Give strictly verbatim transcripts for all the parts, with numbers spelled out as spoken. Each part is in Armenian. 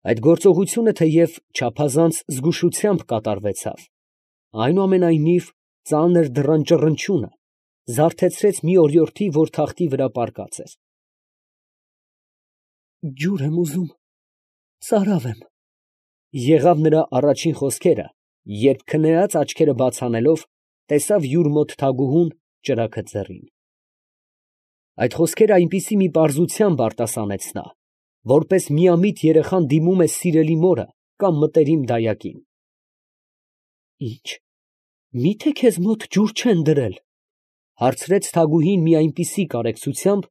Այդ գործողությունը թեև չափազանց զգուշությամբ կատարվեցավ, այնուամենայնիվ ծանր դռան ճռնչյունը զարթեցրեց մի օրիորդի, որ թախտի վրա պառկած էր։ «Ջուր եմ ուզում, ծարավ եմ», եղավ նրա առաջին խոսքերը, երբ քնեած աչքերը բաց անելով, տեսավ յուր մոտ թագուհուն, ճրագը ձեռին։ Այդ խոսքերը այնպիսի մի պարզությամբ արտասանեց նա, որպես միամիտ երեխան դիմում է սիրելի մորը կամ մտերիմ դայակին։ «Ի՞նչ, մի՞թե քեզ մոտ ջուր չեն դրել», հարցրեց թագուհին մի այնպիսի կարեկցությամբ,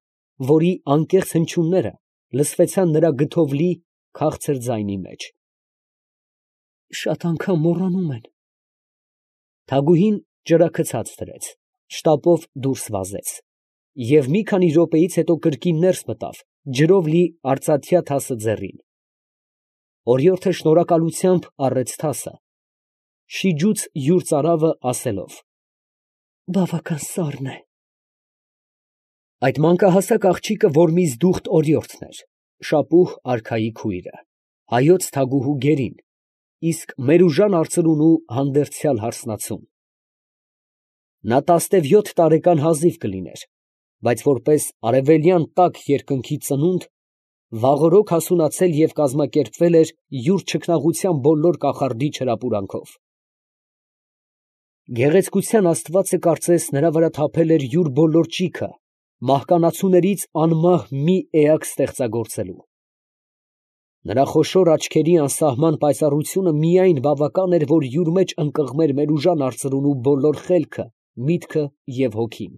որի անկեղծ հնչյունները լսվեցան նրա գթովլի, քաղցր ձայնի մեջ։ «Շատ անգամ մոռանում են»։ Թագուհին ճրագը ցած դրեց, շտապով դուրս վազեց, և մի քանի րոպեից հետո կրկին ներս մտավ, ջրով լի արծաթյա թասը ձեռին։ Օրիորդը շնորհակալությամբ առեց թասը, շիջուց յուր ծարավը, ասելով. «Բավական սառն է»։ Այդ մանկահասակ աղջիկը Որմիզդուխտ օրիորդն էր, Շապուհ արքայի քույրը, հայոց թագուհու գերին, իսկ Մերուժան արծրունու հանդերձյալ հարսնացուն։ Նա տասնևյոթ տարեկան հազիվ կլիներ, բայց որպես արևելյան տաք երկնքի ծնունդ, վաղօրոք հասունացել և կազմակերպվել էր յուր չքնաղության բոլոր կախարդի չրապուրանքով։ Գեղեցկության աստվածը կարծես նրա վրա թափել էր յուր բոլոր ճիգը, մահկանացուներից անմահ մի էակ ստեղծագործելու։ Նրա խոշոր աչքերի անսահման պայծառությունը միայն բավական էր, որ յուր մեջ ընկղմեր Մերուժան արծրունու բոլոր խելքը, միտքը և հոգին։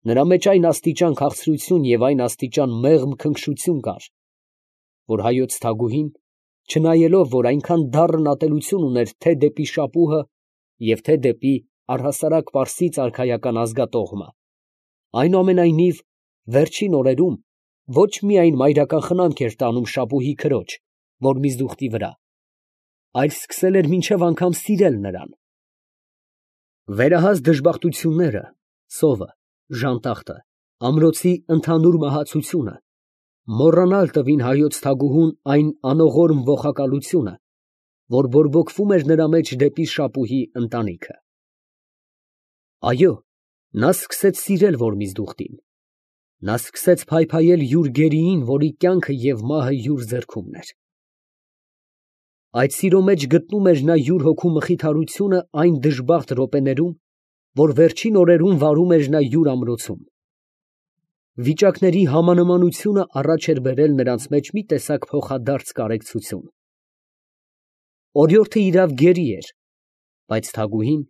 Նրա մեջ այն աստիճան քաղցրություն և այն աստիճան մեղմ քնքշություն կար, որ հայոց թագուհին, չնայելով, որ այնքան դառն ատելություն ուներ թե դեպի Շապուհը և թե դեպի առհասարակ պարսից արքայական ազգատոհմը, այնուամենայնիվ վերջին օրերում ոչ միայն մայրական խնամք էր տանում Շապուհի քրոջ Որմիզդուխտի վրա, այլ սկսել էր մինչև անգամ սիրել նրան։ Վերահաս դժբախտությունները, սովը, ժանտախտը, ամրոցի ընդհանուր մահացությունը մոռանալ տվին հայոց թագուհուն այն անողորմ ողակալությունը, որ բորբոքվում էր նրա մեջ դեպի Շապուհի ընտանիքը։ Այո, նա սկսեց սիրել Որմիզդուխտին, նա սկսեց փայփայել յուր գերիին, որի կյանքը և մահը յուր ձեռքումն էր։ Այդ սիրո մեջ գտնում էր նա յուր հոգու մխիթարությունը այն դժբախտ րոպեներում, որ վերջին օրերում վարում էր նա յուր ամրոցում։ Վիճակների համանմանությունը առաջ էր բերել նրանց մեջ մի տեսակ փոխադարձ կարեկցություն։ Օրիորդը իրավ գերի էր, բայց թագուհին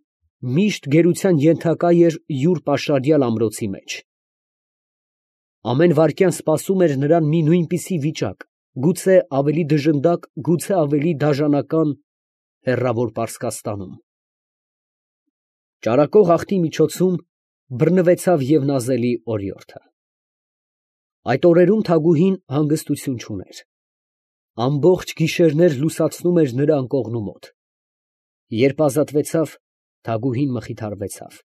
միշտ գերության ենթակա էր յուր պաշարյալ ամրոցի մեջ։ Ամեն վայրկյան սպասում էր նրան մի նույնպիսի վիճակ, գուցե ավելի դժնդակ, գուցե ավելի դաժանական հեռավոր Պարսկաստանում։ Ճարակող աղբի միջոցում բռնվեցավ և նազելի օրիորդը։ Այդ օրերում թագուհին հանգստություն չուներ։ Ամբողջ գիշերներ լուսացնում էր նրա անկողնու մոտ։ Երբ ազատվեցավ, թագուհին մխիթարվեցավ։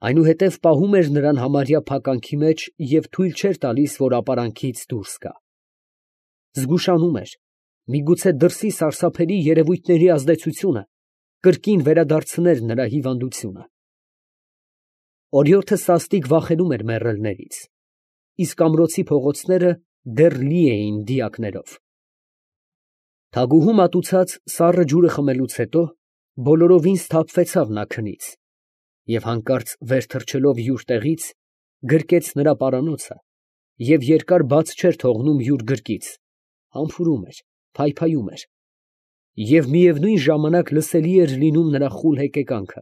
Այնուհետև պահում էր նրան համարյա փականքի մեջ և թույլ չէր տալիս, որ ապարանքից դուրս գա։ Զգուշանում էր, միգուցե դրսի սարսափելի երևույթների ազդեցությունը կրկին վերադարձներ նրա հիվանդությունը։ Օրիորդը սաստիկ վախենում էր մեռելներից, իսկ ամրոցի փողոցները դեռ լի էին դիակներով։ Թագուհու մատուցած սառը ջուրը խմելուց հետո բոլորովին սթափվեցավ նա քնից և հանկարծ վեր թռչելով յուր տեղից, գրկեց նրա պարանոցը և երկար բաց չէր թողնում յուր գրկից, համբուրում էր, փայփայում էր, և միևնույն ժամանակ լսելի էր լինում նրա խուլ հեկեկանքը։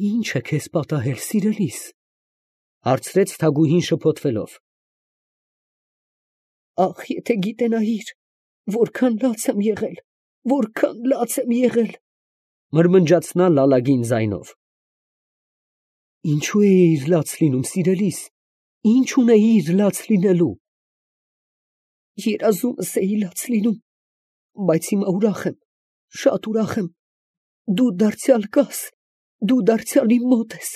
«Ի՞նչ է քեզ պատահել, սիրելիս», ֊ հարցրեց թագուհին շփոթվելով։ «Ախ, եթե գիտենայիր, որքան լաց եմ եղել, որքան լաց եմ եղել», ֊ մրմնջաց նա լալագին ձայնով։ «Ինչո՞ւ էիր լաց լինում, սիրելիս, ի՞նչ ունեիր լաց լինելու»։ «Երազումս էի լաց լինում, բայց հիմա ուրախ եմ, շատ ուրախ եմ, դու դարձյալ կաս, դու դարձյալ իմ մոտ ես»։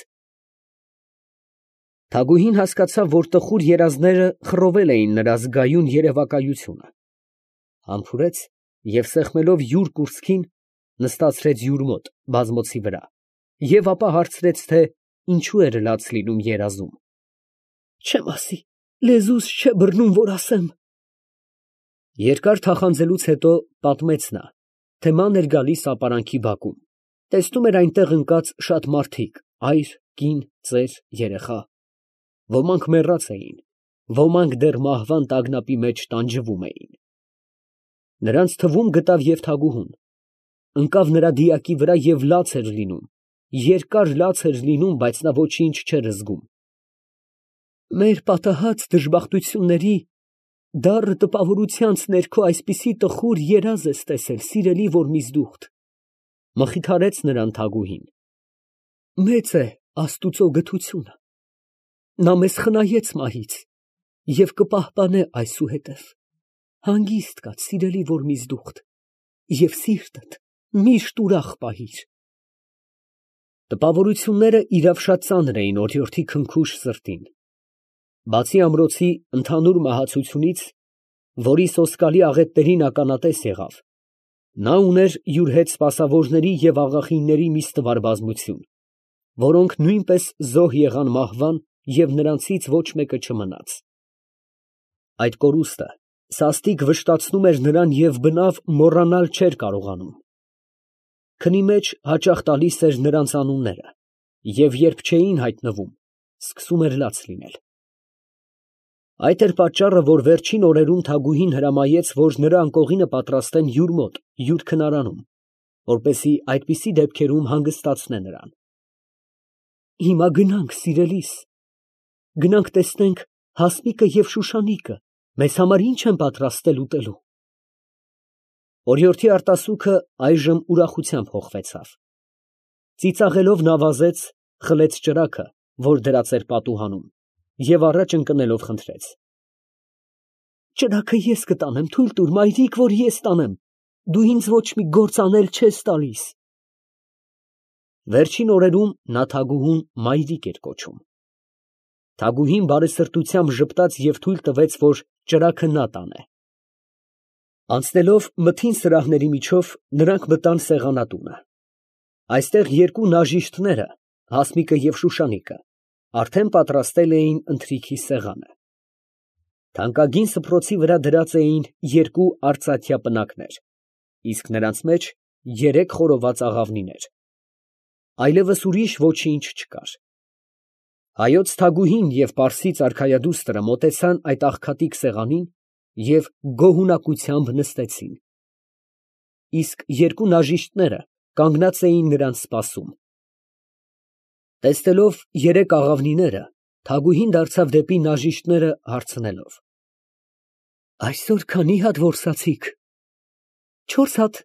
Թագուհին հասկացավ, որ տխուր երազները խռովել էին նրա զգայուն երևակայությունը, համբուրեց և սեղմելով յուր կուրծքին, նստացրեց յուր մոտ բազմոցի վրա և ապա հարցրեց, թե ինչու էր լաց լինում երազում։ «Չեմ ասի, լեզուս չէ բռնում, որ ասեմ»։ Երկար թախանձելուց հետո պատմեց նա, թե ման էր գալիս ապարանքի բակում, տեսնում էր այնտեղ ընկած շատ մարդիկ, այր, կին, ծեր, երեխա, ոմանք մեռած էին, ոմանք դեռ մահվան տագնապի մեջ տանջվում էին։ Նրանց թվում գտավ և թագուհուն, ընկավ նրա դիակի վրա և լաց էր լինում, երկար լաց էր լինում, բայց նա ոչինչ չէր զգում։ «Մեր պատահած դժբախտությունների դառը տպավորությանց ներքո այսպիսի տխուր երազ ես տեսել, սիրելի Որմիզդուխտ», ֊ մխիթարեց նրան թագուհին։ «Մեծ է Աստուծո գթությունը, նա մեզ խնայեց մահից և կպահպանե այսուհետև, հանգիստ կաց, սիրելի Որմիզդուխտ, և սիրտդ միշտ ուրախ պահիր»։ Տպավորությունները իրավ շատ ծանր էին օրիորդի քնքուշ սրտին։ Բացի ամրոցի ընդհանուր մահացությունից, որի սոսկալի աղետներին ականատես եղավ, նա ուներ յուր հետ սպասավորների և աղախինների մի ստվար բազմություն, որոնք նույնպես զոհ եղան մահվան և նրանցից ոչ մեկը չմնաց։ Այդ կորուստը սաստիկ վշտացնում էր նրան և բնավ մոռանալ չէր կարողանում։ Քնի մեջ հաճախ տալիս էր նրանց անունները, և երբ չէին հայտնվում, սկսում էր լաց լինել։ Այդ էր պատճառը, որ վերջին օրերում թագուհին հրամայեց, որ նրա անկողինը պատրաստեն յուր մոտ, յուր քնարանում, որպեսզի այդպիսի դեպքերում հանգստացնե նրան։ «Հիմա գնանք, սիրելիս, գնանք տեսնենք Հասմիկը և Շուշանիկը մեզ համար ինչ են պատրաստել ուտելու»։ Օրիորդի արտասուքը այժմ ուրախությամբ հոխվեցավ։ Ծիծաղելով նա վազեց, խլեց ճրագը, որ դրած էր պատուհանում, և առաջ ընկնելով խնդրեց. «Ճրագը ես կտանեմ, թույլ տուր, մայրիկ, որ ես տանեմ, դու ինձ ոչ մի գործ անել չես տալիս»։ Վերջին օրերում նա թագուհուն մայրիկ էր կոչում։ Թագուհին բարեսրտությամբ ժպտաց և թույլ տվեց, որ ճրագը նա տանե։ Անցնելով մթին սրահների միջով, նրանք մտան սեղանատունը։ Այստեղ երկու նաժիշտները, Հասմիկը և Շուշանիկը, արդեն պատրաստել էին ընթրիքի սեղանը։ Թանկագին սփռոցի վրա դրած էին երկու արծաթյա պնակներ, իսկ նրանց մեջ երեք խորոված աղավնիներ։ Այլևս ուրիշ ոչինչ չկար։ Հայոց թագուհին և պարսից արքայադուստրը մոտեցան այդ աղքատիկ սեղանին և գոհունակությամբ նստեցին, իսկ երկու նաժիշտները կանգնած էին նրանց սպասում։ Տեսնելով երեք աղավնիները, թագուհին դարձավ դեպի նաժիշտները, հարցնելով. «Այսօր քանի՞ հատ որսացիք»։ «Չորս հատ,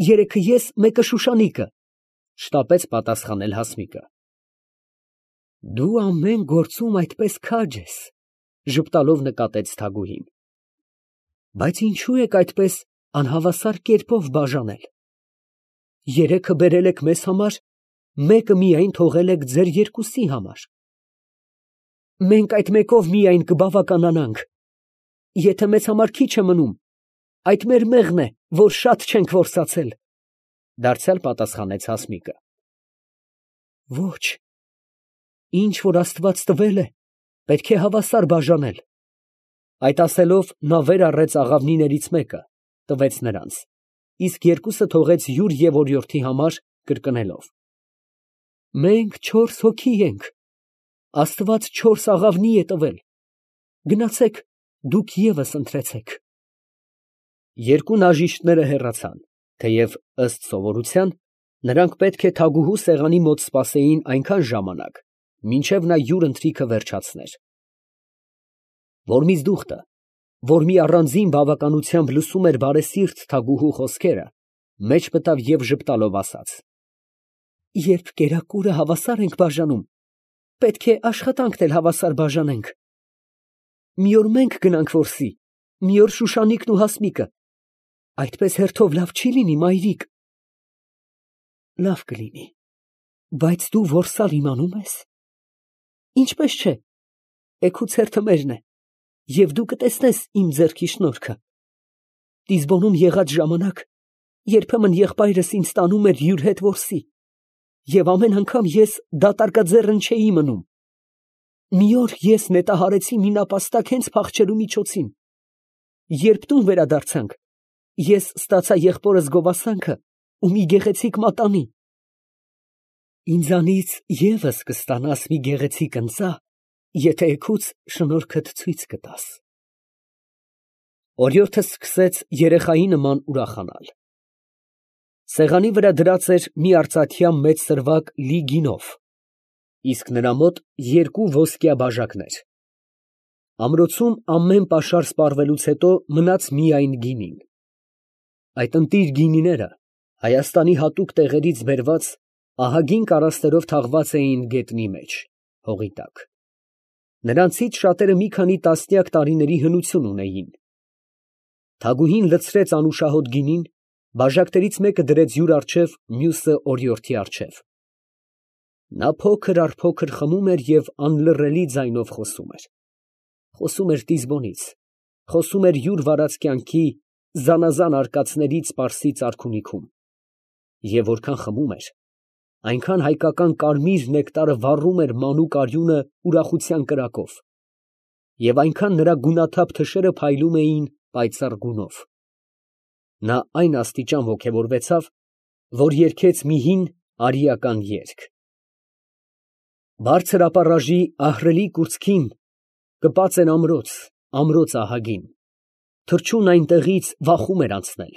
երեքը ես, մեկը Շուշանիկը», ֊ շտապեց պատասխանել Հասմիկը։ «Դու ամեն գործում այդպես քաջ ես», ֊ ժպտալով նկատեց թագուհին։ «Բայց ինչո՞ւ եք այդպես անհավասար կերպով բաժանել։ Երեքը բերել եք մեզ համար, մեկը միայն թողել եք ձեր երկուսի համար։ Մենք այդ մեկով միայն կբավականանանք, եթե մեզ համար քիչ է մնում, այդ մեր մեղն է, որ շատ չենք որսացել», ֊ դարձյալ պատասխանեց Հասմիկը։ «Ոչ, ինչ որ Աստված տվել է, պետք է հավասար բաժանել»։ Այդ ասելով, նա վեր առեց աղավնիներից մեկը, տվեց նրանց, իսկ երկուսը թողեց յուր և օրիորդի համար, կրկնելով. «Մենք չորս հոգի ենք, Աստված չորս աղավնի է տվել, գնացեք, դուք ևս ընտրեցեք»։ Երկու նաժիշտները հեռացան, թեև, ըստ սովորության, նրանք պետք է թագուհու սեղանի մոտ սպասեին այնքան ժամանակ, մինչև նա յուր ընթրիքը վերջացներ։ Որմիզդուխտը, որ մի առանձին բավականությամբ լսում էր բարեսիրտ թագուհու խոսքերը, մեջ մտավ և ժպտալով ասաց. «Երբ կերակուրը հավասար ենք բաժանում, պետք է աշխատանքն էլ հավասար բաժանենք։ Մի օր մենք գնանք որսի, մի օր Շուշանիկն ու Հասմիկը, այդպես հերթով լավ չի լինի, մայրիկ»։ «Լավ կլինի, բայց դու որսալ իմանում ե՞ս»։ «Ինչպես չէ, էգուց հերթը մերն է, և դու կտեսնես իմ ձեռքի շնորհքը։ Տիզբոնում եղած ժամանակ երբեմն եղբայրս ինձ տանում էր յուր հետ որսի, և ամեն անգամ ես դատարկաձեռն չէի մնում։ Մի օր ես նետահարեցի մի նապաստակ հենց փախչելու միջոցին. երբ տուն վերադարձանք, ես ստացա եղբորս գովասանքը ու մի գեղեցիկ մատանի։ Ինձանից ևս կստանաս մի գեղեցիկ ընծա, եթե էգուց շնորհքդ ցույց կտաս։ Օրիորդը սկսեց երեխայի նման ուրախանալ։ Սեղանի վրա դրած էր մի արծաթյա մեծ սրվակ լի գինով, իսկ նրա մոտ երկու ոսկյա բաժակներ։ Ամրոցում ամեն պաշար սպառվելուց հետո մնաց միայն գինին։ Այդ ընտիր գինիները Հայաստանի հատուկ տեղերից բերված ահագին կարասներով թաղված էին գետնի մեջ, հողի տակ։ Նրանցից շատերը մի քանի տասնյակ տարիների հնություն ունեին։ Թագուհին լցրեց անուշահոտ գինին, բաժակներից մեկը դրեց յուր առջև, մյուսը օրիորդի առջև։ Նա փոքր առ փոքր խմում էր և անլռելի ձայնով խոսում էր։ Խոսում էր Տիզբոնից, խոսում էր յուր վարած կյանքի զանազան արկածներից Պարսից արքունիքում, և որքան խմում էր, այնքան հայկական կարմիր նեկտարը վառում էր մանուկ արյունը ուրախության կրակով, և այնքան նրա գունաթափ թշերը փայլում էին պայծառ գունով։ Նա այն աստիճան ոգևորվեցավ, որ երգեց մի հին արիական երգ. Բարձր ապառաժի ահռելի կուրծքին կպած էր ամրոց, ամրոց ահագին, թռչուն այնտեղից վախում էր անցնել,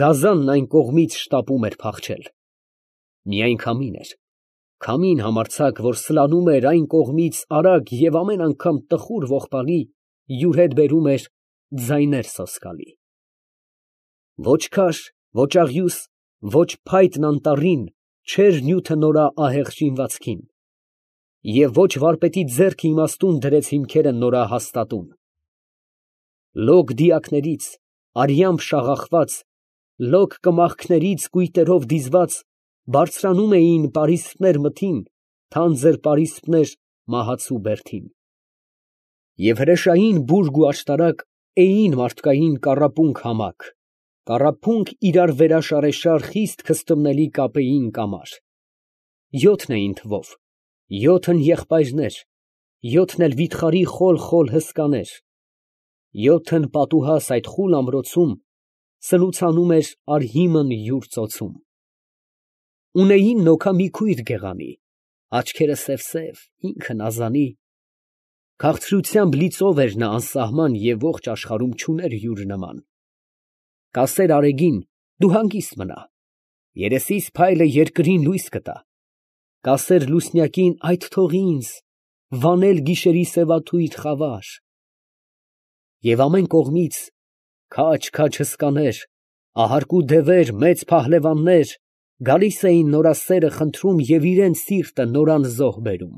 գազանն այն կողմից շտապում էր փախչել։ Միայն քամին էր, քամին համարձակ, որ սլանում էր այն կողմից արագ և ամեն անգամ տխուր ողբալի յուր հետ բերում էր ձայներ սոսկալի։ Ոչ քաշ, ոչ աղյուս, ոչ փայտն անտառին չէր նյութը նորա ահեղ շինվածքին, և ոչ վարպետի ձեռքը իմաստուն դրեց հիմքերը նորա հաստատուն։ Լոկ դիակներից, արյամբ շաղախված, լոկ կմախքներից կույտերով դիզված, բարձրանում էին պարիսպներ մթին, թանձր պարիսպներ մահացու բերդին։ Եվ հրեշային բուրգ ու աշտարակ էին մարդկային կառապունք համակ, կառափունք իրար վերաշարեշար խիստ քստմնելի կապեին կամար։ Յոթն էին թվով, յոթն եղբայրներ, յոթն էլ վիթխարի խոլ֊խոլ հսկաներ, յոթն պատուհաս այդ խուլ ամրոցում սնուցանում էր արհիմն յուր ծոցում։ Ունեին նոքա մի քույր գեղանի, աչքերը սև֊սև, ինքը նազանի, քաղցրությամբ լի ծով էր նա անսահման և ողջ աշխարհում չուներ յուր նման։ Կասեր արեգին դու հանգիստ մնա, երեսիս փայլը երկրին լույս կտա, կասեր լուսնյակին այդ թող ինձ, վանել գիշերի սևաթույր խավար։ Եվ ամեն կողմից քաջ֊քաջ հսկաներ, ահարկու դևեր, մեծ փահլևաններ գալիս էին նորա սերը խնդրում և իրենց սիրտը նորան զոհ բերում։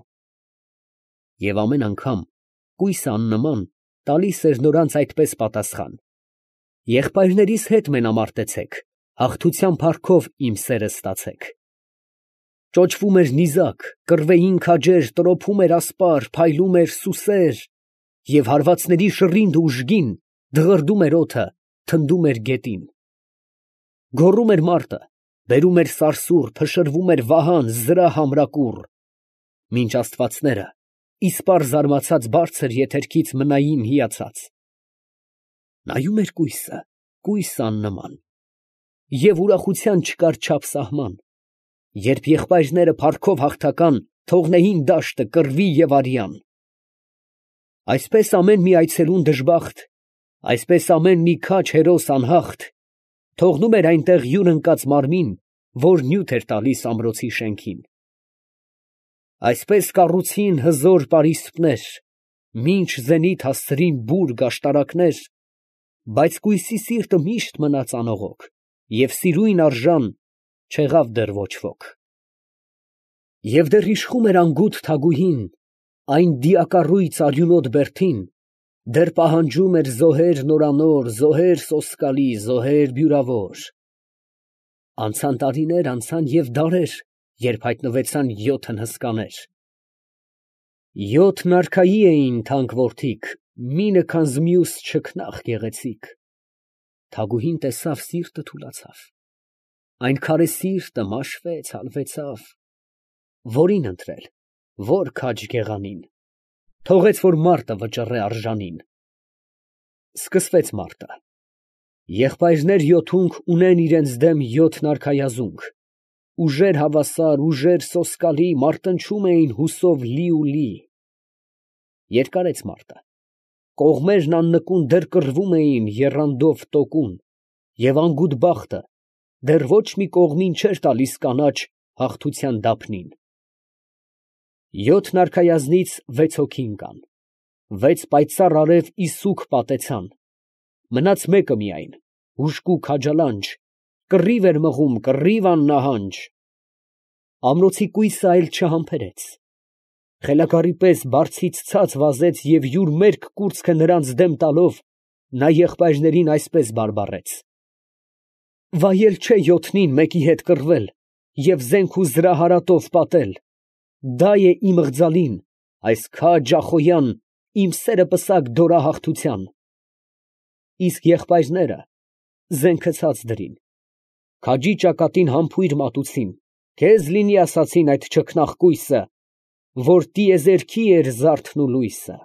Եվ ամեն անգամ կույսը աննման տալիս էր նրանց այդպես պատասխան. եղբայրներիս հետ մենամարտեցեք, հաղթության փառքով իմ սերը ստացեք։ Ճոճվում էր նիզակ, կռվեին քաջեր, տրոփում էր ասպար, փայլում էր սուսեր, և հարվածների շռինգ ու ուժգին դղրդում էր օդը, թնդում էր գետին։ Գոռում էր մարտը, բերում էր սարսուռ, փշրվում էր վահան, զրահ ամրակուռ, մինչ աստվածները իսպառ զարմացած բարձր եթերքից մնային հիացած։ Նայում էր կույսը, կույս աննման, և ուրախության չկար չափ սահման, երբ եղբայրները փառքով հաղթական թողնեին դաշտը կռվի և արյան։ Այսպես ամեն մի այցելուն դժբախտ, այսպես ամեն մի քաջ հերոս անհաղթ թողնում էր այնտեղ յուր ընկած մարմին, որ նյութ էր տալիս ամրոցի շենքին։ Այսպես կառուցին հզոր պարիսպներ, մինչ զենիթ հասցրին բուրգ աշտարակներ, բայց կույսի սիրտը միշտ մնաց անողոք, և սիրույն արժան չեղավ դեռ ոչ ոք։ Եվ դեռ իշխում էր անգութ թագուհին այն դիակառույց արյունոտ բերդին, դեռ պահանջում էր զոհեր նորանոր, զոհեր սոսկալի, զոհեր բյուրավոր։ Անցան տարիներ, անցան և դարեր, երբ հայտնվեցան յոթն հսկաներ։ Յոթն արքայի էին թանկ որդիք, մինը քանզ մյուս չքնաղ գեղեցիկ։ Թագուհին տեսավ, սիրտը թուլացավ, այն քարե սիրտը մաշվեց, հալվեցավ, որին ընտրել, որ քաջ գեղանին, թողեց, որ մարտը վճռե արժանին։ Սկսվեց մարտը, եղբայրներ յոթունք ունեն իրանց դեմ յոթն արքայազունգ, ուժեր հավասար, ուժեր սոսկալի, մարտնչում էին հուսով լի ու լի։ Երկարեց մարտը, կողմերն աննկուն դեռ կռվում էին եռանդով տոկուն, և անգութ բախտը դեռ ոչ մի կողմին չէր տալիս կանաչ հաղթության դափնին։ Յոթն արքայազնից վեց հոգի ընկան, վեց պայծառ արև ի սուգ պատեցան, մնաց մեկը միայն, հուժկու քաջալանջ, կռիվ էր մղում, կռիվ աննահանջ։ Ամրոցի կույսը այլ չհամբերեց, խելագարի պես բարձից ցած վազեց և յուր մերկ կուրծքը նրանց դեմ տալով, նա եղբայրներին այսպես բարբառեց. «Վայել չէ յոթնին մեկի հետ կռվել և զենք ու զրահարատով պատել, դա է իմ ղձալին, այս քաջ ախոյան, իմ սերը պսակ դորահաղթության»։ Իսկ եղբայրները զենքը ցած դրին, քաջի ճակատին համբույր մատուցին, քեզ լինի ասացին այդ չքնաղ կույսը, որ տիեզերքի էր զարդն ու լույսը։